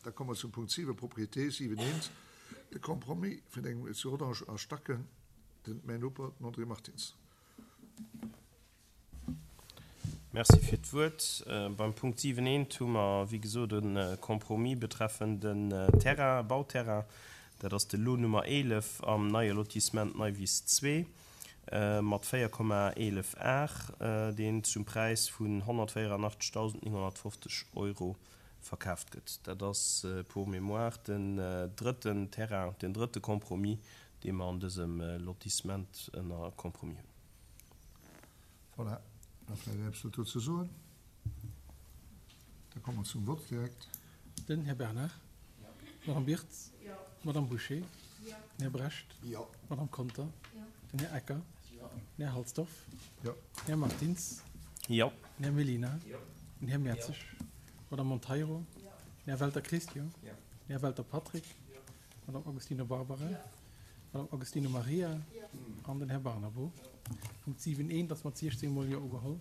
Da komme mer zum Punkt 7, Propriété, 7 eent, de Compromis vun engem zu Rodange a Stacken, den, mäin Noper, den André Martins. Merci fir d'Wuert. Beim Punkt 7 eent hu mer, wéi gesot, e Compromis betreffend en Terrain, e Bauterrain. Dat ass de Lot Nummer 11 am neie Lotissement Neiwiss 2 mat 4,11 Ar, deen zum Präis vun 184.950 Euro verkaaft gëtt. Dat ass pour mémoire den drëtten Terrain, den drëtte Compromis, dee mer an dësem Lotissement ënner Compromis hunn. Voilà, da vläicht eppes dozou ze soen. Da komme mer zum Vott direkt. Den Här Bernard. Jo. D'Madame Birtz. Jo. D'Madame Bouché. Jo. Den Här Brecht. Jo. D'Madame Conter. Jo. Den Här Ecker. Jo. Den Här Halsdorf. Jo. Den Här Martins. Jo. Den Här Mellina. Jo. Den Här Mertzig. Jo. D'Madame Monteiro. Jo. Den Här Welter Christian. Jo. Den Här Welter Patrick. Jo. D'Madame Agostino Barbara. Jo. D'Madame Agostino Maria. Jo. An den Här Barnabo. Punkt 7 eent ass mat 16 mol Jo ugeholl.